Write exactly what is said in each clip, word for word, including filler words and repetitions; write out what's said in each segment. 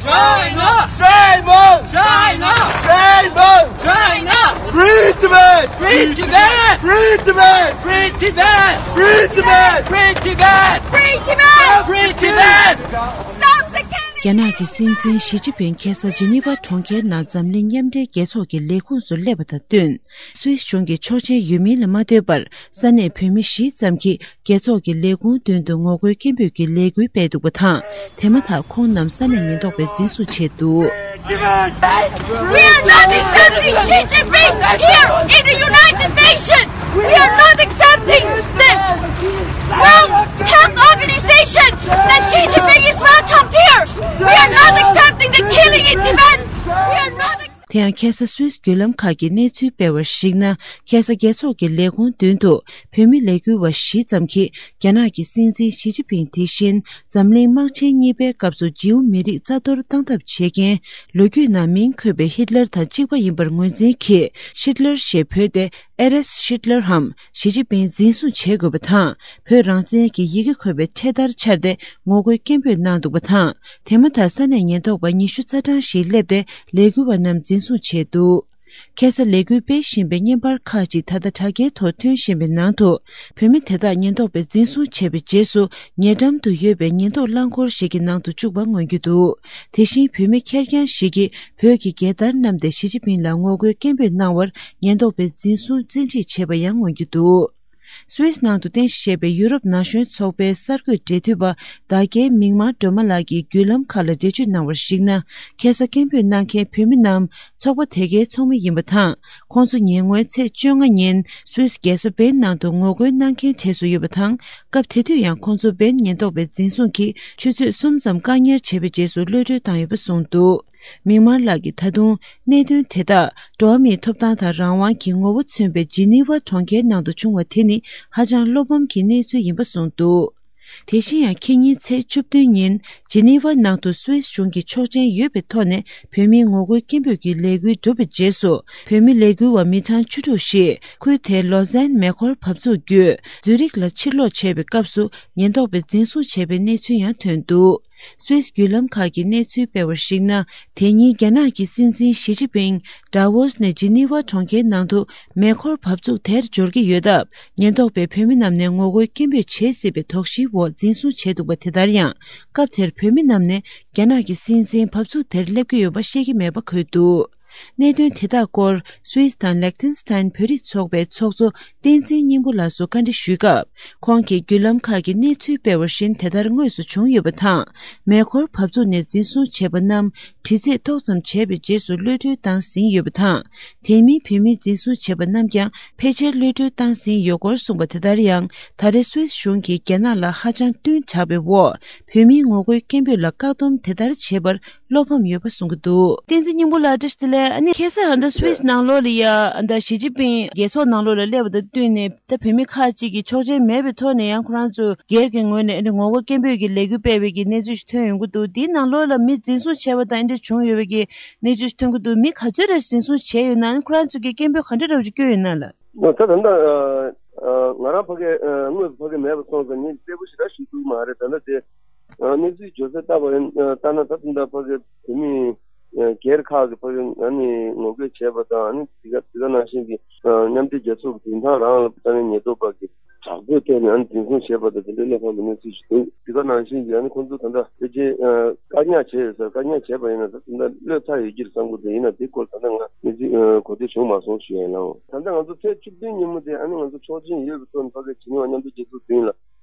China! Shame on! China! Shame on! China! Free Tibet! Free Tibet! Free Tibet! Free Tibet! Free Tibet! Free Tibet! Free Tibet! Free Tibet! Stop the killing! རྒྱ་ནག་གི་སྲིད་འཛིན་ཞི་ཅིན་ཕིང་ཁ་སང་ཇི་ནི་ཝ་གྲོང་ཁྱེར་ནང་འཛམ་གླིང་མཉམ་འབྲེལ་རྒྱལ་ཚོགས་ཀྱི་ལས་ཁུངས་སུ་སླེབས་པ་དང་བསྟུན། སུད་སི་གཞུང་གི་ཆོག་མཆན་ཡོད་མིན་ལ་མ་ལྟོས་པར་ས་གནས་བོད་མི་བཞི་ཙམ་གྱིས་རྒྱལ་ཚོགས་ཀྱི་ལས་ཁུངས་མདུན་དུ་ངོ་རྒོལ་སྐད་འབོད་ཀྱི་ལས་འགུལ་སྤེལ་འདུག་པ་དང་། དེ་མ་ཐག་ཁོང་རྣམས་ས་གནས་ཉེན་རྟོག་པས་འཛིན་བཟུང་བྱས་འདུག། We are not accepting Xi Jinping here in the United Nations. We are not accepting the World Health Organization that Xi Jinping is welcomed here. We are not accepting the killing in Tibet. We are not accepting དེ་ཡང་ཁ་སང་སུད་སི་བརྒྱུད་ལམ་ཁག་གིས་གནས་ཚུལ་སྤེལ་བར་གཞིགས་ན། ཁ་སང་རྒྱལ་ཚོགས་ཀྱི་ལས་ཁུངས་མདུན་དུ་བོད་མི་ལས་འགུལ་བ་བཞི་ཙམ་གྱིས་རྒྱ་ནག་གི་སྲིད་འཛིན་ཞི་ཅིན་ཕིང་དེ་བཞིན་འཛམ་གླིང་དམག་ཆེན་གཉིས་པའི་སྐབས་སུ་ཇིའུ་མི་རིགས་རྩ་གཏོར་བཏང་ཐབས་བྱེད་མཁན། ལོ་རྒྱུས་ནང་མིང་འཁོད་པའི་ཧིད་ལར་དང་གཅིག་པ་ཡིན་པར་ངོས་འཛིན་གྱིས་ཧིད་ལར་ཞེས་འབོད་དེ། ཨེ་རེས་ཧིད་ལར་འམ་ཞི་ཅིན་ཕིང་འཛིན་བཟུང་བྱེད་དགོས་པ་དང་། བོད་རང་བཙན་གྱི་ཡི་གེ་འཁོད་པའི་འཕྲེད་དར་འཕྱར་ཏེ་ངོ་རྒོལ་སྐད་འབོད་གནང་འདུག་པ་དང་། དེ་མ་ཐག་ས་གནས་ཉེན་རྟོག་པ་ཉི་ཤུ་རྩ་གྲངས་ཤིག་སླེབས་ཏེ་ལས་འགུལ་བ་རྣམས་འཛིན་བཟུང་བྱས་འདུག། ཁ་སང་ལས་འགུལ་སྤེལ་བཞིན་པའི་བརྙན་པར་ཁག་ཅིག་ད་ལྟ་དྲ་རྒྱའི་ཐོག་ཐོན་བཞིན་པའི་ནང་དུ། བོད་མི་དེ་དག་ཉེན་རྟོག་པས་འཛིན་བཟུང་བྱས་པའི་རྗེས་སུ། ཉེ་འགྲམ་དུ་ཡོད་པའི་ཉེན་རྟོག་རླངས་འཁོར་ཞིག་གི་ནང་དུ་བཅུག་པ་མངོན་རྒྱུ་འདུག། དེ་བཞིན་བོད་མི་ཁེར་རྐྱང་ཞིག་གིས་བོད་ཀྱི་རྒྱལ་དར་བསྣམས་ཏེ་ཞི་ཅིན་ཕིང་ལ་ངོ་རྒོལ་སྐད་འབོད་གནང་བར། ཉེན་རྟོག་པས་འཛིན་བཟུང་བཙན་ཁྲིད་བྱས་པ་ཡང་མངོན་རྒྱུ་འདུག། སུད་སི་ནང་དུ་རྟེན་གཞི་བྱས་པའི་ཡུ་རོབ་ན་གཞོན་ཚོགས་པའི་གསར་འགོད་འབྲེལ་མཐུད་པ་བདག་རྒྱལ་མིག་དམར་སྒྲོལ་མ་ལགས་ཀྱིས་བརྒྱུད་ལམ་ཁག་ལ་འགྲེལ་བརྗོད་གནང་བར་གཞིགས་ན། ཁ་སང་སྐད་འབོད་གནང་མཁན་བོད་མི་རྣམས་ཚོགས་པ་དེ་གའི་ཚོགས་མི་ཡིན་པ་དང་། ཁོང་ཚོ་ཉེ་སྔོན་ཚེས་བཅོ་ལྔ་ཉིན་སུད་སི་རྒྱལ་ས་བེན་ནང་དུ་ངོ་རྒོལ་གནང་མཁན་གྲས་སུ་ཡོད་པ་དང་། སྐབས་དེ་དུས་ཡང་ཁོང་ཚོ་བེན་ཉེན་རྟོག་པས་འཛིན་བཟུང་གིས་ཆུ་ཚོད་གསུམ་ཙམ་བཀག་ཉར་བྱས་པའི་རྗེས་སུ་གློད་གྲོལ་བཏང་ཡོད་པ་གསུངས་འདུག། མིག་དམར་ལགས་ཀྱིས་ད་དུང་གནད་དོན་དེ་དག་འགྲོ་བ་མིའི་ཐོབ་ཐང་དང་རང་དབང་གི་ངོ་བོ་མཚོན་པའི་ཇི་ནི་ཝ་གྲོང་ཁྱེར་ནང་དུ་བྱུང་བ་དེ་ནི་ཧ་ཅང་བློ་ཕམ་གྱི་གནས་ཚུལ་ཡིན་པ་གསུངས་འདུག། དེ་བཞིན་ཡང་ཁེ་ཉིན་ཚེས་བཅུ་བདུན་ཉིན་ཇི་ནི་ཝ་ནང་དུ་སུད་སི་གཞུང་གི་ཆོག་མཆན་ཡོད་པའི་ཐོག་ནས་བོད་མིའི་ངོ་རྒོལ་སྐད་འབོད་ཀྱི་ལས་འགུལ་གྲུབ་པའི་རྗེས་སུ། བོད་མི་ལས་འགུལ་བ་མི་གྲངས་བཅུ་དྲུག་ཞིག་ཁུལ་དེའི་ལོ་ཛན་མེ་འཁོར་བབས་ཚུགས་བརྒྱུད་ཛུ་རིག་ལ་ཕྱིར་ལོག་བྱས་པའི་སྐབས་སུ་ཉེན་རྟོག་པས་འཛིན་བཟུང་བྱས་པའི་གནས་ཚུལ་ཡང་ཐོན་འདུག། སུད་སི་བརྒྱུད་ལམ་ཁག་གིས་གནས་ཚུལ་སྤེལ་བར་གཞིགས་ན། དེ་ཉིན་རྒྱ་ནག་གི་སྲིད་འཛིན་ཞི་ཅིན་ཕིང་ཌ་ཝོ་སི་ནས་ཇི་ནི་ཝ་གྲོང་ཁྱེར་ནང་དུ་མེ་འཁོར་བབས་ཚུགས་དེར་འབྱོར་གྱི་ཡོད་སྟབས། ཉེན་རྟོག་པས་བོད་མི་རྣམས་ནས་ངོ་རྒོལ་སྐད་འབོད་བྱེད་སྲིད་པའི་དོགས་གཞིའི་འོག་འཛིན་བཟུང་བྱས་འདུག་པ། དེ་ལྟར་ཡང་། སྐབས་དེར་བོད་མི་རྣམས་ནས་རྒྱ་ནག་གི་སྲིད་འཛིན་བབས་ཚུགས་དེར་སླེབས་ཀྱི་ཡོད་པ་ཤེས་ཀྱི་མེད་པ་འཁོད་འདུག། གནད་དོན་དེ་དག་སྐོར་སུད་སི་དང་ལེག་ཐེན་སི་ཐན་བོད་རིགས་ཚོགས་པའི་ཚོགས་གཙོ་བསྟན་འཛིན་སྙིང་པོ་ལགས་སུ་བཀའ་འདྲི་ཞུས་སྐབས། ཁོང་གིས་བརྒྱུད་ལམ་ཁག་གི་གནས་ཚུལ་སྤེལ་བར་བཞིན་དེ་ལྟར་དངོས་སུ་བྱུང་ཡོད་པ་དང་། མེ་འཁོར་བབས་ཚུགས་ནས་འཛིན་བཟུང་བྱས་པ་རྣམས་དྲི་རྩད་ཏོག་ཙམ་བྱས་པའི་རྗེས་སུ་གློད་གྲོལ་བཏང་ཟིན་ཡོད་པ་དང་། དེ་མིན་བོད་མི་འཛིན་བཟུང་བྱས་པ་རྣམས་ཀྱང་ཕལ་ཆེར་གློད་གྲོལ་བཏང་ཟིན་ཡོད་སྐོར་གསུངས་པ། དེ་ལྟར་ཡང་ད་རེས་སུད་སི་གཞུང་གིས་རྒྱ་ནག་ལ་ཧ་ཅང་བསྟུན་དྲགས་པའི་འོག་བོད་མིའི་ངོ་རྒོལ་སྐད་འབོད་ལ་བཀག་སྡོམ་དེ་ལྟར་བྱས་པར། བློ་ཕམ་ཡོད་པ་གསུང་གི་འདུག། བསྟན་འཛིན་སྙིང་པོ་ལགས། བཀྲ་ཤིས་བདེ་ལེགས། ཨ་ནི་ཁ་སང་ཨ་ནི་སུད་སི་ནང་ལོགས་ལ་ཡ་ཨ་ད་ཞི་ཅིན་ཕིང་རྒྱལ་ཚོགས་ནང་ལོགས་ལ་སླེབས་པ་དང་བསྟུན་ནས། ད་བོད་མི་ཁག་ཅིག་གིས་ཆོག་མཆན་མེད་པའི་ཐོག་ནས་ཡང་ཁོ་རང་ཚོ་སྒེར་གྱི་ངོས་ནས་ཨ་ནི་ངོ་རྒོལ་སྐད་འབོད་ཀྱི་ལས་འགུལ་སྤེལ་བའི་གི་གནས་ཚུལ་ཞིག་ཐོན་ཡོང་གི་འདུག། དེའི་ནང་ལོགས་ལ་མི་འཛིན་བཟུང་བྱས་པ་དང་ཨ་འདྲ་བྱུང་ཡོད་པའི་གི་གནས་ཚུལ་ཞིག་ཐོན་གྱི་འདུག། མི་ག་ཚོད་རེ་འཛིན་བཟུང་བྱས་ཡོད་ན། ཨ་ནི་ཁོ་རང་ཚོ་གིས་སྐད་འབོད་ག་འདྲ་འདྲ་བོ་ཅིག་བསྐྱོན་ཡོད་ན་ལགས། ད་ད་ལྟ་ང་རང་ཕ་གི་དངོས་སུ་ཕ་གི་མེད་པ་སོང་ཙང་ངས་གསལ་པོ་ཞེ་དྲག་ཞུ་ཐུབ་མ་རེད། ད་ལྟ་དེ། ཨ་གནས་ཚུལ་བརྗོད་གསལ་ལྟ་བ་ཡིན། ལྟ་ན་ད་ལྟ་ཕ་གི་བོད་མི་སྒེར་ཁག་གི་ཕ་གི་ཨ་ནི་ངོ་རྒོལ་བྱས་པ་དང་། ཨ་ནི་དེ་ག་དེ་ག་ནང་བཞིན་གྱི་མཉམ་འབྲེལ་རྒྱལ་ཚོགས་ཀྱི་མདུན་ཐང་རང་ལ་ས་གནས་ཉེན་རྟོག་པ་གི་དྲག་པོའི་ཐོག་ནས་ཨ་ནི་འཛིན་བཟུང་བྱས་པ་དང་། དེ་འདྲའི་བློ་ཕམ་གྱི་གནས་ཚུལ་ཞིག་འདུག། དེ་ག་ནང་བཞིན་གྱི་ཨ་ནི་ཁོང་ཚོ་ད་ལྟ་ཕལ་ཆེར་བཀག་ཉར་བྱས་ཡོད་ས། བཀག་ཉར་བྱས་པ་ཡིན་ན་ད་ད་ལྟ་གློད་ཚར་ཡོད་ཀྱི་རེད་བསམ་གྱི་འདུག། ཡིན་ན་དེ་སྐོར་ད་ལྟ་ང་གནས་ཚུལ་གོ་ཐོས་བྱུང་མ་སོང་ཞུ་ཡ་ཡིན་ལགས། ད་ལྟ་ང་ཚོ་ཚེས་བཅུ་བདུན་ཉིན་མོ་དེ་ཨ་ནི་ང་ཚོ་ཆོག་མཆན་ཡོད་པའི་ཐོག་ནས་ཕ་གི་ཇི་ནི་ཝ་མཉམ་འབྲེལ་རྒྱལ་ཚོགས་མདུན་ལ།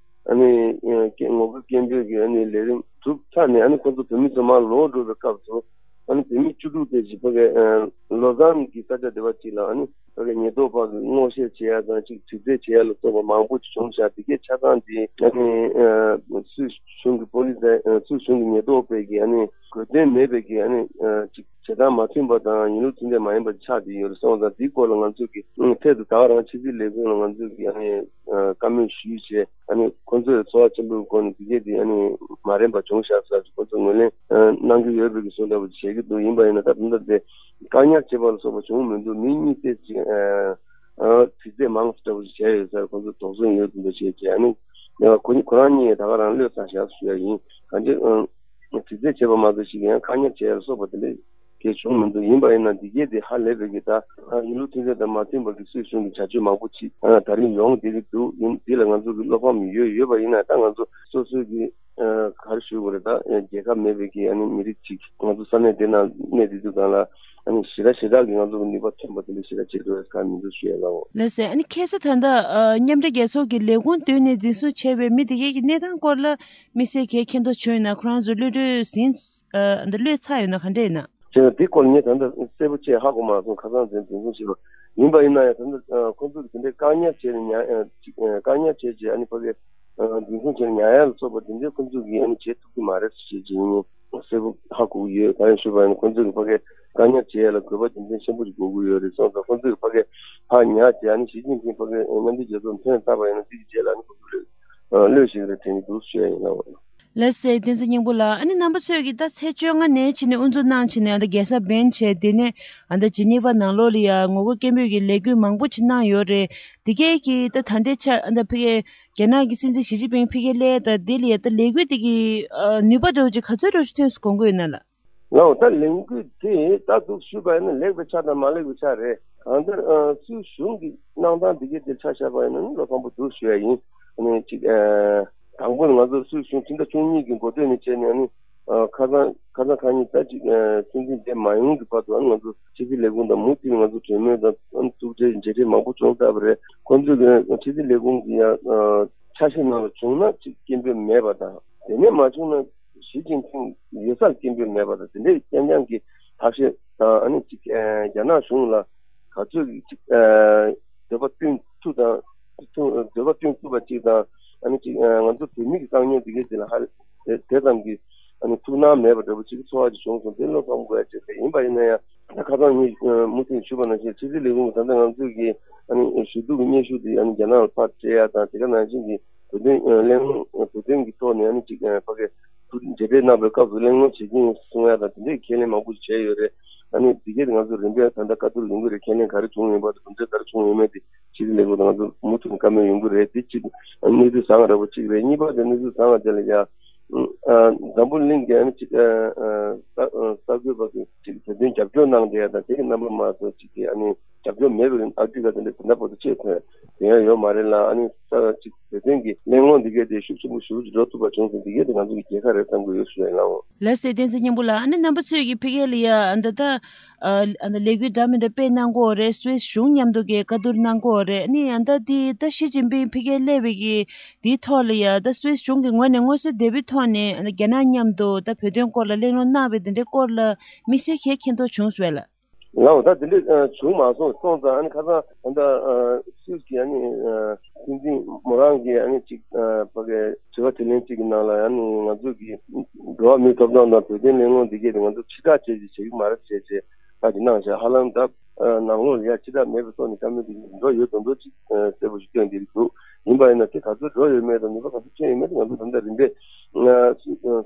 ཨ་ནི་ཨ་སྐད་ངོ་རྒོལ་སྐད་འབོད་ཀྱི་ཨ་ནི་ལས་རིམ་གྲུབ་ཚར་ནས། ཨ་ནི་ཁོང་ཚོ་བོད་མི་ཚོ་མར་ལོག་འགྲོ་བའི་སྐབས་སུ། ཨ་ནི་བོད་མི་བཅུ་དྲུག་དེ་ཅིག་ཕ་གི་ཨ་ལོ་ཛན་གྱི་ས་ཆ་དེ་པ་ཅིག་ལ་ཨ་ནི་ཕ་གི་ཉེན་རྟོག་པ་གིས་སྔོག་བཤེར་བྱེད་ཡ་དང་། ཅིག་དྲི་རྩད་བྱེད་ཡ་ལ་སོགས་པ་མང་པོ་ཅིག་བྱུང་ཤག། དེ་གའི་ཆ་ཚང་དེ་ཨ་ནི་ཨ་སུད་གཞུང་གི་པོ་ལི་སི། ཨ་སུད་གཞུང་གི་ཉེན་རྟོག་པས་ཀྱིས་ཨ་ནི་གོ་དོན་མེད་པའི་གི་ཨ་ནི་ཨ་ཅིག་བྱེད་སྟངས་མ་མཐུན་པ་དང་། ཡིན་ལུགས་མཐུན་གཏན་མ་ཡིན་པ་ཆགས་བསྡད་ཡོད་རེད་སོང་ཙང་། དེའི་སྐོར་ལ་ང་ཚོ་གིས་ཨ་ཐད་དུ་ད་ག་རང་ཕྱི་སྲིད་ལས་ཁུངས་ལ་ང་ཚོ་གིས་ཨ་ནི་ཨ་བཀའ་མོལ་ཞུས་བྱས། ཨ་ནི་ཁོང་ཚོས་ཚོར་བ་ཆེན་པོའི་སྒོ་ནས་དེ་གས་དེ་ཨ་ནི་མ་རན་པ་བྱུང་ཤག་ཟེར་ཁོང་ཚོས་ངོས་ལེན་ཨ་གནང་གི་ཡོད་པའི་གི་བཟོ་འདྲ་པོ་བྱེད་ཀྱི་འདུག། ཡིན་པ་ཡིན་ན་ད་ད་ལྟ་དེ་བཀག་ཉར་བྱེད་པ་ལ་སོགས་པ་བྱུང་མི་འདུག། མི་གཉིས་དེ་ཅིག་ཨ་ཨ་དྲི་རྩད་མང་ཙམ་འདྲ་པོ་ཞིག་བྱས་ཡོད་ཟེར་ཁོང་ཚོས་དོགས་ཟོན་ཡོད་དེ་འདྲ་བྱས་བྱས། ཨ་ནི་ཁོ་ཁོ་རང་གཉིས་ད་ག་རང་གློད་ཚར་ཤག་ཞུ་ཡ་ཡིན། གང་ཅི་ཨ། དྲི་རྩད་བྱས་པ་མ་གཏོགས་ཞིག་ཡང་བཀག་ཉར་བྱས་ལ་སོགས་པ་དེ་འདྲ་གལ་བྱུང་མི་འདུག་ཡིན་པ་ཡིན་ན་འདི་གས་དེ་ཧ་ལས་པའི་གི་ད་ཡིན་ལུགས་མཐུན་ཚད་དང་མ་མཐུན་པ་གི་སུད་སི་གཞུང་གི་བྱ་སྤྱོད་མང་པོ་ཅིག་ད་རིང་ཡོང་བསྡད་ཀྱི་འདུག་ཡིན་འདི་ལ་ང་ཚོ་གི་བློ་ཕམ་ཡོད་ཡོད་པ་ཡིན་ན་ད་ང་ཚོ་སོ་སོའི་གི་ག་རེ་ཞུ་དགོས་རེད། ད་རྒྱལ་ཁབ་མེད་པའི་གི་ཨ་ནི་མི་རིགས་ཅིག་ང་ཚོ་ས་གནས་དེ་ན་གནས་དེ་དུས་གང་ལ་ཨ་ནི་ཞེ་དྲག་ཞེ་དྲག་གི་ང་ཚོ་གི་ནུས་པ་ཐོན་པ་དེ་འདྲ་ཞེ་དྲག་བྱེད་དགོས་ག་མི་འདུག་ཞུ་ཡ་ལ་འོ། ལགས་སེ། ཨ་ནི་ཁ་སང་ད་ལྟ་ཨ་མཉམ་འབྲེལ་རྒྱལ་ཚོགས་ཀྱི་ལས་ཁུངས་བཏོན་ནས་འཛིན་བཟུང་བྱས་པའི་མི་དེ་གས་ཀྱི་གནས་སྟངས་སྐོར་ལ་དམིགས་བསལ་གྱི་མཁྱེན་རྟོགས་བྱུང་ཡོད་ན་ཁོ་རང་ཚོ་གློད་གྲོལ་ཟིན་ཨ་ད་གློད་ཚར་ཡོད་ན་ག་འདྲ་ཡིན་ན། བྱས་ན་དེ་སྐོར་ངས་ད་ལྟ་གསལ་པོ་བཅས་ཧ་གོ་མ་སོང་། ཁ་སང་ཚེ་འཛིན་བཟུང་བྱས་པ་ཡིན་པ་ཡིན་ན་ཡང་ད་ལྟ་ཁོ་ཚོ་གི་དེ་འདྲའི་བཀག་ཉར་བྱས་ནས་ཉར་ཅིག་བཀག་ཉར་བྱས་རྗེས་ཨ་ནི་ཕ་གི་འཛིན་བཟུང་བྱས་ནས་ཉར་ཡ་ལ་སོགས་པ་དེ་འདྲའི་ཁོ་ཚོ་གིས་ཨ་ནི་བྱེད་ཐུབ་ཀྱི་མ་རེད་ཟེར་བྱས་རྗེས་ངས་གསལ་པོ་ཧ་གོ་གི་ཡོད། གང་ཡིན་ཞུས་པ་ཡིན་ན་ཁོ་ཚོ་གི་ཕ་གི་བཀག་ཉར་བྱེད་ཡ་ལ་དགོས་པ་རྒྱུ་མཚན་ཆེན་པོ་ཞིག་དགོས་ཀྱི་ཡོད་རེད་གསུངས་སོང་། ཁོ་ཚོ་གི་ཕ་གི་ཕར་ཉར་རྗེས་ཨ་ནི་ཞི་ཅིན་ཕིང་ཕ་གི་མཉམ་འབྲེལ་རྒྱལ་ཚོགས་ཐོན་བཏང་བ་ཡིན་ན་དེ་གི་རྗེས་ལ་ཨ་ནི་ཁོ་ཚོ་ལ་གློད་ཞིག་རེད་དྲན་གྱི་འདུག་ཞུ་ཡ་ཡིན་ལ། ལགས་སེ། བསྟན་འཛིན་སྙིང་པོ་ལགས། ཨ་ནི་རྣམ་པ་ཚོས་ཀྱིས་ད་ཚེས་བཅོ་ལྔ་ནས་ཕྱིན་ནས་དབུ་འཛུགས་གནང་ཕྱིན་ནས་ཨ་ད་རྒྱལ་ས་བྷན་བྱས་དེ་ནས་ཨ་ད་ཇི་ནི་ཝ་ནང་ལོགས་ལ་ཡ་ངོ་རྒོལ་སྐད་འབོད་ཀྱི་ལས་འགུལ་མང་པོ་ཅིག་གནང་ཡོད་རེད། དེ་གས་ཀྱིས་ད་ད་ལྟའི་ཆ་ཨ་ད་ཕ་གིའི་རྒྱ་ནག་གི་སྲིད་འཛིན་ཞི་ཅིན་ཕིང་ཕ་གིར་སླེབས་ད་དེ་ལ་ཡ་ད་ལས་འགུལ་དེ་གི་ཨ་ནུས་པ་འདྲ་བོ་ཅིག་ག་ཚོད་འདྲ་བོ་ཅིག་ཐོན་སོང་དགོངས་ཀྱི་ཡོད་ན་ལགས། ལགས་འོ། ད་ལས་འགུལ་དེ་ད་འདུག་ཞུས་པ་ཡིན་ན་ལེགས་པའི་ཆ་དང་མ་ལེགས་པའི་ཆ་རེད། གང་ལྟར་ཨ་སུད་གཞུང་གི་གནང་སྟངས་འདི་གའི་དེར་ཆ་བཞག་པ་ཡིན་ན་ནི་བློ་ཕམ་པོ་འདུག་ཞུ་ཡ་ཡིན། ཨ་ནི་ཅིག་ཨ་དང་པོ་ནི་ང་ཚོ་སུད་གཞུང་ཕྱི་ཟླ་བཅུ་གཉིས་ཀྱི་འགོ་སྟོད་ནས་བྱས་ནས་ཨ་ནི་ཨ་ཁ་སང་ཁ་སང་ཁ་ཉིན་ད་ཅིག་ཨ་སྲིད་འཛིན་མཇལ་མ་ཡོང་གི་བར་དུ་ཨ་ནི་ང་ཚོ་ཕྱི་སྲིད་ལས་ཁུངས་དང་མུ་མཐུད་ནས་ང་ཚོ་གྲོས་མོལ་དང་ཨ་ནི་ཐུག་འཕྲད་མཇལ་འཕྲད་མང་པོ་བྱུང་ཚར་བ་རེད། ཁོང་ཚོས་ཀྱི་ཕྱི་སྲིད་ལས་ཁུངས་ཀྱི་ཡང་ཨ་ཆ་ཤས་ནང་ལ་བྱུང་ན་ཅིག་སྐད་འབོད་མེད་པ་དང་དེ་ནས་མ་བྱུང་ན། ཞི་ཅིན་ཕིང་ཡོད་སར་སྐད་འབོད་མེད་པ་དང་དེ་འདྲའི་རྐྱང་རྐྱང་གི་ཐབས་ཤེས་དང་ཨ་ནི་ཅིག་ཨ་རྒྱ་ནག་གཞུང་ལ་ག་ཚོད་ཅིག་ཨ་འདོད་པ་བསྟུན་ཐུབ་དང་ཐུབ་འདོད་པ་བསྟུན་ཐུབ་པ་ཅིག་དང་ཨ་ནི་ཅིག་ཨ་ང་ཚོ་བོད་མི་གི་དཀའ་ངལ་འདི་གའི་དེ་ལ་ཧ་དེ་དེ་ཙམ་གྱི་ཨ་ནི་ཐུགས་སྣང་མེད་པ་འདྲ་པོ་ཅིག་གི་ཚོར་བ་ཅིག་བྱུང་སོང་། དེ་བློ་ཕམ་དགོས་ཡ་ཅིག་རེད། ཡིན་པ་ཡིན་ན་ཡང་ད་ཁ་སང་ངས་མུ་མཐུད་ཞུས་པ་ནང་བཞིན་ཕྱི་སྲིད་ལས་ཁུངས་ཀྱི་ད་ལྟ་ང་ཚོས་ཀྱི་ཨ་ནི་ཞུ་གཏུག་གི་སྙན་ཞུ་དེ་ཨ་ནི་རྒྱ་ནག་ལ་ཕར་སྤྲད་ཡ་དང་དེ་ག་ནང་བཞིན་གྱི་བོད་དོན་ཨ་གླེང་སློང་བོད་དོན་གྱི་ཐོག་ནས་ཨ་ནི་ཅིག་ཨ་ཕ་གི་མཇལ་འཕྲད་གནང་བའི་སྐབས་སུ་གླེང་སློང་བྱེད་ཀྱི་ཡིན་གསུང་ཡ་དང་དེ་འདྲའི་ཁས་ལེན་མང་པོ་ཞིག་བྱས་ཡོད་རེད། ཨ་ནི་འདི་གས་ང་ཚོ་རིམ་པས་ད་ལྟ་བཀའ་བསྡུར་ཡོང་གི་རེད། ཁས་ལེན་ག་རེ་བྱུང་ཡོད་པ་དང་གྲུབ་འབྲས་ག་རེ་བྱུང་ཡོད་མེད་དེ་ཕྱི་སྲིད་ལས་ཁུངས་དང་ང་ཚོ་མུ་མཐུད་ནས་བཀའ་མོལ་ཡོང་གི་རེད། དེ་གཅིག་ཨ་ནི་གནས་ཚུལ་བཟང་བ་འདྲ་པོ་གཅིག་རེད། གཉིས་པ་དེ་གནས་ཚུལ་བཟང་བ་དེ་ལ་ཡ་ཨ་འཛམ་བུ་གླིང་གི་ཨ་ནི་གཅིག་ཨ་ཨ་ས་ཨ་གསར་འགོད་པ་ཚོས་གཅིག་བོད་དོན་རྒྱབ་སྐྱོར་གནང་བསྡད་ཡ་དང་དེ་གི་རྣམ་པ་མ་གཏོགས་གཅིག་གི་ཨ་ནི་རྒྱབ་སྐྱོར་མེད་པའི་ཨ་ཕི་རི་ཀ་དེ་འདྲ་དེ་འདྲ་པོ་དེ་ཆེས་ཐོན་དེ་ཡང་ཡོད་མ་རེད་ལ། ཨ་ནི་ས་གཅིག་བོད་དོན་གྱི་གླེང་སློང་འདི་གས་དེ་ཤུགས་ཆེན་པོ་ཞེ་པོ་ཅིག་འགྲོ་ཐུབ་པ་བྱུང་སོང་། འདི་གས་དེ་ང་ཚོ་གི་རྒྱལ་ཁ་རེད་བསམ་གྱི་ཡོད་ཞུ་ཡ་ཡིན་ལགས། ལགས་སེ། བསྟན་འཛིན་སྙིང་པོ་ལགས། ཨ་ནི་རྣམ་པ་ཚོས་ཀྱི་ཕ་གི་ལ་ཡ་ཨ་ད་ལྟ་ཨ་ཨ་ད་ལས་འགུལ་འདྲ་མི་འདྲ་སྤེལ་གནང་གི་ཡོད་རེད། སུད་སི་གཞུང་མཉམ་དུ་གི་བཀའ་བསྡུར་གནང་གི་ཡོད་རེད། ཨ་ནི་ཨ་ད་དེ་ད་ཞི་ཅིན་ཕིང་ཕ་གིར་སླེབས་པའི་གི་དེའི་ཐོག་ལ་ཡ་ད་སུད་སི་གཞུང་གི་ངོས་ནས་མངོན་གསལ་དོད་པོའི་ཐོག་ནས་ཨ་ད་རྒྱ་ནག་མཉམ་དུ་ད་བོད་དོན་སྐོར་ལ་གླེང་སློང་གནང་བའི་དེ་འདྲའི་སྐོར་ལ་དམིགས་བསལ་གྱི་མཁྱེན་རྟོགས་བྱུང་སོང་བས་ལགས། ལགས་འོ། ད་དེ་འདྲ་ཨ་བྱུང་མ་སོང་། སོང་ཙང་ཨ་ནི་ཁ་སང་ད་ལྟ་ཨ་སུད་སི་གི་ཨ་ནི་ཨ་སྲིད་འཛིན་མོ་རང་གིས་ཨ་ནི་ཅིག་ཨ་ཕ་གི་དྲི་བ་དྲིས་ལན་ཅིག་གི་ནང་ལ་ཨ་ནི་ང་ཚོ་གི་འགྲོ་བ་མིའི་ཐོབ་ཐང་དང་བོད་དོན་གླེང་སློང་འདི་གས་དེ་ང་ཚོ་ཕྱི་བསྒྲགས་བྱས་ཅིག་བྱེད་ཀྱི་མ་རེད་བྱས་བྱས་ད་ཅིག་གནང་བཞག་ཧ་ལམ་ད་ཨ་ནང་ལོགས་ལ་ཡ་ཕྱི་བསྒྲགས་མེད་པའི་ཐོག་ནས་བཀའ་མོལ་འདི་འགྲོ་ཡོད་མདོག་མདོག་ཅིག་ཨ་གསལ་པོ་ཞིག་སྟོན་བསྡད་ཀྱི་འདུག་ཡིན་པ་ཡིན་ན་དེ་ག་ཚོད་འགྲོ་ཡོད་མེད་དང་ནུས་པ་ག་ཚོད་ཐོན་ཡོད་མེད་དེ་ང་ཚོ་ད་ལྟ་རིམ་པས་ཨ་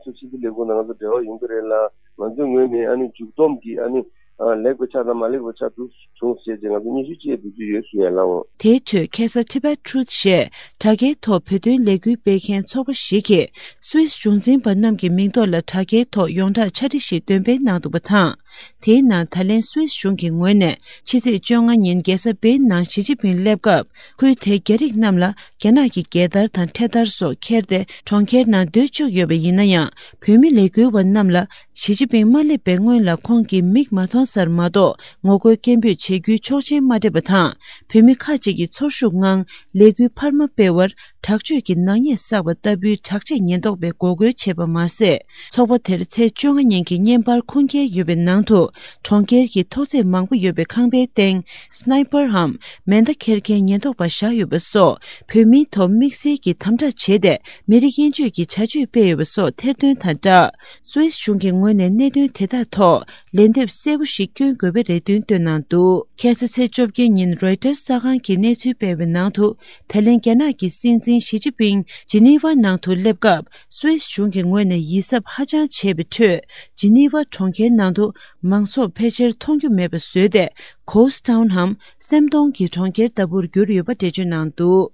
སུད་སི་ཕྱི་སྲིད་ལས་ཁུངས་དང་ང་ཚོ་འབྲེལ་བ་ཡོང་གི་རེད་ལ། ང་ཚོའི་ངོས་ནས་ཨ་ནི་མཇུག་བསྡོམས་ཀྱི་ཨ་ནི་ཨ་ལེགས་པའི་ཆ་དང་མ་ལེགས་པའི་ཆ་དུ་བྱུང་ཞེས་བྱས་ང་ཚོ་སྙན་ཞུ་ཅིག་འབུལ་རྒྱུ་ཡོད་ཞུ་ཡ་ལགས་འོང་། དེའི་ཁྲོད་ཁ་ས་Tibet Truth ཞེས་དྲ་རྒྱའི་ཐོག་བོད་དོན་ལས་འགུལ་སྤེལ་མཁན་ཚོགས་པ་ཞིག་གིས་སུད་སི་གཞུང་འཛིན་པ་རྣམས་ཀྱི་མིང་ཐོག་ལ་དྲ་རྒྱའི་ཐོག་ཡོངས་བསྒྲགས་ཕྱག་བྲིས་ཤིག་འདོན་སྤེལ་གནང་འདུག་པ་དང་། དེའི་ནང་ད་ལན་སུད་སི་གཞུང་གི་ངོས་ནས་ཕྱི་ཚེས་བཅོ་ལྔ་ཉིན་རྒྱལ་ས་པེ་ནང་ཞི་ཅིན་ཕིང་སླེབས་སྐབས་ཁུལ་དེའི་རྒྱ་རིགས་རྣམས་ལ་རྒྱ་ནག་གི་རྒྱལ་དར་དང་འཕྲེད་དར་སོགས་འཁྱེར་ཏེ་གྲོང་ཁྱེར་ནང་སྡོད་བཅུག་ཡོད་པ་ཡིན་ན་ཡང་། བོད་མི་ལས་འགུལ་བ་རྣམས་ལ་ཞི་ཅིན་ཕིང་མ་སླེབས་པའི་སྔོན་ལ་ཁོང་གི་མིག་མ་མཐོང་སར་མ་གཏོགས་ངོ་རྒོལ་སྐད་འབོད་བྱེད་རྒྱུའི་ཆོག་མཆན་མ་སྤྲད་པ་དང་། བོད་མི་ཁག་ཅིག་གིས་ཚོར་ཤུགས་ངང་ལས་འགུལ་འཕར་མ་སྤེལ་བར་དྲག་སྤྱོད་ཀྱི་ནག་ཉེས་བསགས་པ་ལྟ་བུའི་དྲག་ཆས་ཉེན་རྟོག་པས་འགོག་རྒོལ་བྱས་པ་མ་ཟད། ཚོགས་པ་དེར་ཚེས་བཅོ་ལྔ་ཉིན་གྱི་བརྙན་པར་ཁུངས་སྐྱེལ་ཡོད་པའི་ནང་དུ། གྲོང་ཁྱེར་གྱི་ཐོག་བརྩེགས་མང་པོ་ཡོད་པའི་ཁང་པའི་སྟེང་སྣའི་པར་འམ་མེ་མདའ་འཁྱེར་མཁན་ཉེན་རྟོག་པ་བཞག་ཡོད་པ་སོགས། བོད་མིའི་ཐོག་དམིགས་བསལ་གྱི་དམ་དྲག་བྱས་ཏེ། མི་རིགས་དབྱེ་འབྱེད་ཀྱི་བྱ་སྤྱོད་སྤེལ་ཡོད་པ་སོགས་ཐེར་འདོན་དང་སྦྲགས། སུད་སི་གཞུང་གི་ངོས་ནས་གནད་དོན་དེ་དག་ཐོག་ལན་འདེབས་གསལ་པོ་ཞིག་སྐྱོན་དགོས་པའི་རེ་འདུན་བཏོན་གནང་འདུག་ཁ་སང་ཚེས་བཅོ་བརྒྱད་ཉིན་རོའི་ཊར་གསར་ཁང་གིས་གནས་ཚུལ་སྤེལ་བའི་ནང་དུ། ད་ལན་རྒྱ་ནག་གི་སྲིད་འཛིན་ཞི་ཅིན་ཕིང་ཇི་ནི་ཝ་ནང་དུ་སླེབས་སྐབས། སུད་སི་གཞུང་གི་ངོས་ནས་ཡིད་གཟབ་ཧ་ཅང་བྱས་པའི་ཁྲོད། ཇི་ནི་ཝ་གྲོང་ཁྱེར་ནང་དུ་མང་ཚོགས་ཕལ་ཆེར་མཐོང་རྒྱུ་མེད་པ་བཟོས་ཏེ། Ghost Town འམ་སེམས་སྟོང་གི་གྲོང་ཁྱེར་ལྟ་བུར་གྱུར་ཡོད་པ་འགྲེལ་བརྗོད་གནང་འདུག་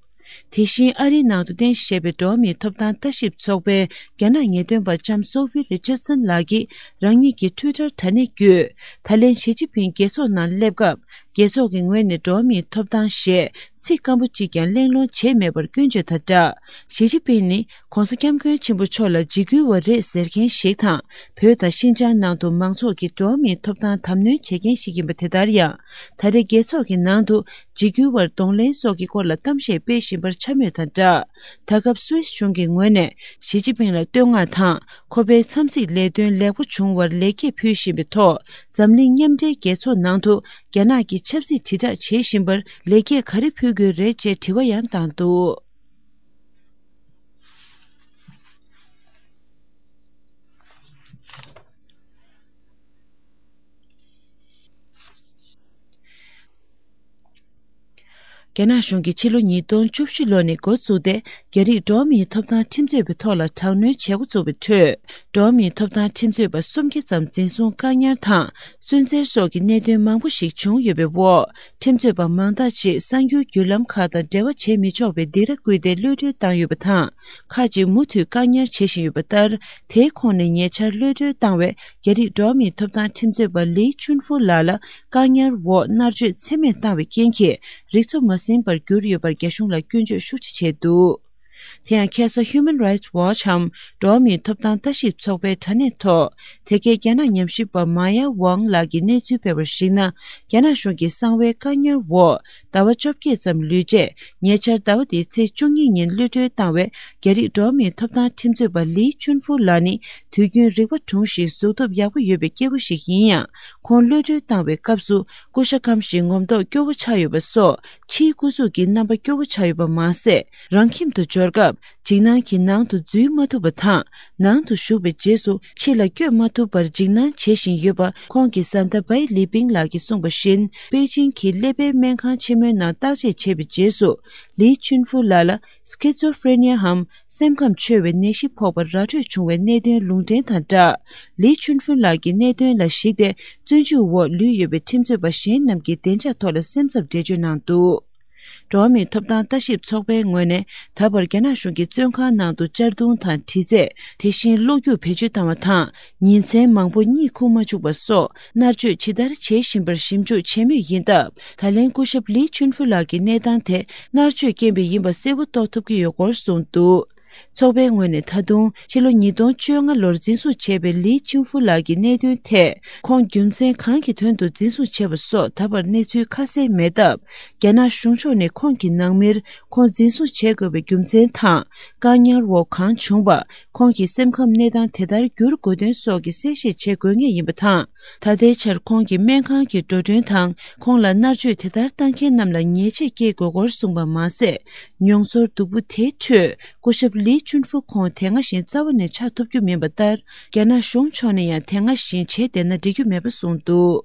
དེ་བཞིན་ཨ་རིའི་ནང་དུ་རྟེན་གཞི་བྱས་པའི་འགྲོ་བ་མིའི་ཐོབ་ཐང་ལྟ་ཞིབ་ཚོགས་པའི་རྒྱ་ནག་ངེས་སྟོན་པ་ལྕམ་སོ་ཧྥི་རི་ཅར་སན་ལགས་ཀྱིས་རང་ཉིད་ཀྱི་ཊུའི་ཊར་དྲ་གནས་བརྒྱུད། ད་ལན་ཞི་ཅིན་ཕིང་རྒྱལ་ཚོགས་ནང་སླེབས་སྐབས། རྒྱལ་ཚོགས་ཀྱི་ངོས་ནས་འགྲོ་བ་མིའི་ཐོབ་ཐང་ཞེས་ཚིག་སྐམ་པོ་གཅིག་ཀྱང་གླེང་སློང་བྱས་མེད་པར་སྐྱོན་བརྗོད་དང་སྦྲགས། ཞི་ཅིན་ཕིང་ནི་༧གོང་ས་༧སྐྱབས་མགོན་ཆེན་པོ་མཆོག་ལ་འཇིགས་སྐུལ་བ་རེད་ཟེར་མཁན་ཞིག་དང་། བོད་དང་ཤིན་ཅང་ནང་དུ་མང་ཚོགས་ཀྱི་འགྲོ་བ་མིའི་ཐོབ་ཐང་དམ་གནོན་བྱེད་མཁན་ཞིག་ཡིན་པ། དེ་ལྟར་ཡང་། ད་རེས་རྒྱལ་ཚོགས་ཀྱི་ནང་དུ་འཇིགས་སྐུལ་བར་གདོང་ལེན་སོགས་ཀྱི་སྐོར་ལ་གཏམ་བཤད་སྤེལ་བཞིན་པར་འཕྱ་སྨོད་དང་སྦྲགས། ད་སྐབས་སུད་སི་གཞུང་གི་ངོས་ནས་ཞི་ཅིན་ཕིང་ལ་བསྟོད་བསྔགས་དང་། ཁོ་པའི་འཚམས་གཟིགས་ལས་དོན་ལེགས་པོ་བྱུང་བར་ལེགས་སྐྱེས་ཕུལ་བཞིན་པའི་ཐོག་འཛམ་གླིང་མཉམ་འབྲེལ་རྒྱལ་ཚོགས་ནང་དུ་རྒྱ་ནག་གི་ཆབ་སྲིད་དྲིལ་བསྒྲགས་བྱེད་བཞིན་པར་ལེགས་སྐྱེས་ག་རེ་ཕུལ་དགོས་རེད་ཅེས་དྲི་བ་ཡང་བཏང་འདུག་རྒྱ་ནག་གཞུང་གིས་ཕྱི་ལོ་ཉིས་སྟོང་བཅུ་བཞི་ལོ་ནས་འགོ་བཙུགས་ཏེ། རྒྱ་རིགས་འགྲོ་བ་མིའི་ཐོབ་ཐང་ཁྲིམས་རྩོད་པའི་ཐོག་ལ་དྲག་གནོན་བྱེད་འགོ་བཙུགས་པའི་ཁྲོད། འགྲོ་བ་མིའི་ཐོབ་ཐང་ཁྲིམས་རྩོད་པ་སུམ་བརྒྱ་ཙམ་འཛིན་བཟུང་བཀག་ཉར་དང་། སུན་གཙེར་སོགས་ཀྱི་གནད་དོན་མང་པོ་ཞིག་བྱུང་ཡོད་པའི་འོག་ཁྲིམས་རྩོད་པ་མང་དག་ཅིག་གསར་འགྱུར་བརྒྱུད་ལམ་ཁག་དང་འབྲེལ་བ་བྱེད་མི་ཆོག་པའི་སྡིགས་ར་བསྐུལ་ཏེ་གློད་གྲོལ་བཏང་ཡོད་པ་དང་། ཁག་ཅིག་མུ་མཐུད་བཀག་ཉར་བྱེད་བཞིན་ཡོད་པ་ལྟར། དེའི་ཁོངས་ནས་ཉེ་ཆར་གློད་གྲོལ་བཏང་བའི་རྒྱ་རིགས་འགྲོ་བ་མིའི་ཐོབ་ཐང་ཁྲིམས་རྩོད་པ་ལི་ཅུན་ཧྥུ་ལགས་ལ་བཀག་ཉར་འོག་མནར་གཅོད་ཚད་མེད་བཏང་བའི་རྐྱེན་གྱིས་རིག་འཚོ་མ་ཟིན་པར་གྱུར་ཡོད་པར་རྒྱ་གཞུང་ལ་སྐྱོན་བརྗོད་ཤུགས་ཆེ་བྱས་འདུག་དེ་ཡང་ཁ་སང་Human Rights Watch འམ་འགྲོ་བ་མིའི་ཐོབ་ཐང་ལྟ་ཞིབ་ཚོགས་པའི་དྲ་གནས་ཐོག་དེ་གའི་རྒྱ་ནག་ཉམས་ཞིབ་པ་མ་ཡ་ཝང་ལགས་ཀྱིས་གནས་ཚུལ་སྤེལ་བར་གཞིགས་ན། རྒྱ་ནག་གཞུང་གི་གསང་བའི་བཀག་ཉར་འོག་ཟླ་བ་བཅོ་བརྒྱད་ཙམ་ལུས་རྗེས། ཉེ་ཆར་ཟླ་བ་འདིའི་ཚེས་བཅུ་གཉིས་ཉིན་གློད་གྲོལ་བཏང་བའི་རྒྱ་རིགས་འགྲོ་བ་མིའི་ཐོབ་ཐང་ཁྲིམས་རྩོད་པ་ལི་ཅུན་ཧྥུ་ལགས་ནི་དུས་རྒྱུན་རིག་པ་གྲུང་ཞིང་གཟུགས་སྟོབས་ཡག་པོ་ཡོད་པའི་སྐྱེས་བུ་ཞིག་ཡིན་ཡང་། ཁོང་གློད་གྲོལ་བཏང་བའི་སྐབས་སུ་ཀུ་ཤ་སྐམ་ཞིང་ངོམ་ཐོག་སྐྱོ་བོ་ཆགས་ཡོད་པ་སོགས་ཕྱིའི་སྐུ་གཟུགས་ཀྱི་རྣམ་པ་སྐྱོ་བོ་ཆགས་ཡོད་པ་མ་ཟད། རང་ཁྱིམ་དུ་འབྱོར་སྐབས། འཇིགས་སྣང་གིས་ནང་དུ་འཛུལ་མ་ཐུབ་པ་དང་། ནང་དུ་ཞུགས་པའི་རྗེས་སུ་ཕྱི་ལ་བསྐྱོད་མ་ཐུབ་པར་འཇིགས་སྣང་བྱེད་བཞིན་ཡོད་པ། ཁོང་གི་བཟའ་ཟླ་བའི་ལི་པིང་ལགས་ཀྱིས་གསུངས་པ་བཞིན། པེ་ཅིང་གི་ཀླད་པའི་སྨན་ཁང་ཆེན་མོའི་ནང་བརྟག་དཔྱད་བྱས་པའི་རྗེས་སུ། ལི་ཅུན་ཧྥུ་ལགས་ལ་སི་ཁེ་ཛོ་ཧྥེ་རེ་ནི་ཡའམ་སེམས་ཁམས་འཆོལ་བའི་ནད་གཞི་ཕོག་པར་ར་འཕྲོད་བྱུང་བའི་གནད་དོན་ལུང་འདྲེན་དང་སྦྲགས། ལི་ཅུན་ཧྥུ་ལགས་ཀྱི་གནད་དོན་ལ་གཞིགས་ཏེ། བཙོན་འཇུག་འོག་ལུས་ཡོད་པའི་ཁྲིམས་རྩོད་པ་གཞན་རྣམས་ཀྱི་བདེ་འཇགས་ཐོག་ལ་སེམས་འཚབ་འགྲེལ་བརྗོད་གནང་འདུག་འགྲོ་བ་མིའི་ཐོབ་ཐང་ལྟ་ཞིབ་ཚོགས་པའི་ངོས་ནས། ད་བར་རྒྱ་ནག་གཞུང་གིས་བཙོན་ཁང་ནང་དུ་གཅར་རྡུང་དང་། དྲི་རྩད། དེ་བཞིན་གློག་རྒྱུག་བེད་སྤྱོད་བཏང་བ་དང་། ཉིན་མཚན་མང་པོ་གཉིད་ཁུག་མ་བཅུག་པ་སོགས་མནར་གཅོད་ཇི་ལྟར་བྱེད་བཞིན་པར་ཞིབ་འཇུག་བྱེད་མུས་ཡིན་སྟབས། ད་ལན་སྐུ་ཞབས་ལི་ཅུན་ཧྥུ་ལགས་ཀྱི་གནས་སྟངས་དེ་མནར་གཅོད་རྐྱེན་པས་ཡིན་པ་གསལ་པོ་རྟོགས་ཐུབ་ཀྱི་ཡོད་སྐོར་གསུངས་འདུག་ཚོགས་པའི་ངོས་ནས་ད་དུང་ཕྱི་ལོ་ཉིས་སྟོང་བཅོ་ལྔ་ལོར་འཛིན་བཟུང་བྱས་པའི་ལི་ཅུན་ཧྥུ་ལགས་ཀྱི་གནད་དོན་ཐད། ཁོང་རྒྱུ་མཚན་གང་གི་དོན་དུ་འཛིན་བཟུང་བྱས་པ་སོགས་ད་བར་གནས་ཚུལ་ཁ་གསལ་མེད་སྟབས། རྒྱ་ནག་གཞུང་ཕྱོགས་ནས་ཁོང་གི་ནང་མིར་ཁོང་འཛིན་བཟུང་བྱེད་དགོས་པའི་རྒྱུ་མཚན་དང་། བཀག་ཉར་འོག་གང་བྱུང་བ། ཁོང་གི་སེམས་ཁམས་གནས་སྟངས་དེ་ལྟར་འགྱུར་དགོས་དོན་སོགས་ཀྱི་གསལ་བཤད་བྱེད་དགོས་ངེས་ཡིན་པ་དང་། ད་ལྟའི་ཆར་ཁོང་གི་སྨན་ཁང་གི་འགྲོ་གྲོན་དང་། ཁོང་ལ་མནར་གཅོད་དེ་ལྟར་བཏང་མཁན་རྣམས་ལ་ཉེས་ཆད་བཀལ་དགོས་སྐོར་གསུངས་པ་མ་ཟད། མྱོང་ཚོར་སྡུག་པོ་དེའི་ཁྲོད། སྐུ་ཞབས་ལི་ཅུན་ཧྥུ་ཁོང་དེ་སྔ་བཞིན་རྩ་བ་ནས་ཆགས་ཐུབ་རྒྱུ་མིན་པ་ལྟར། རྒྱ་ནག་གཞུང་ཕྱོགས་ནས་ཡང་དེ་སྔ་བཞིན་བྱས་བསྡད་ན་འགྲིག་རྒྱུ་མེད་པ་གསུངས་འདུག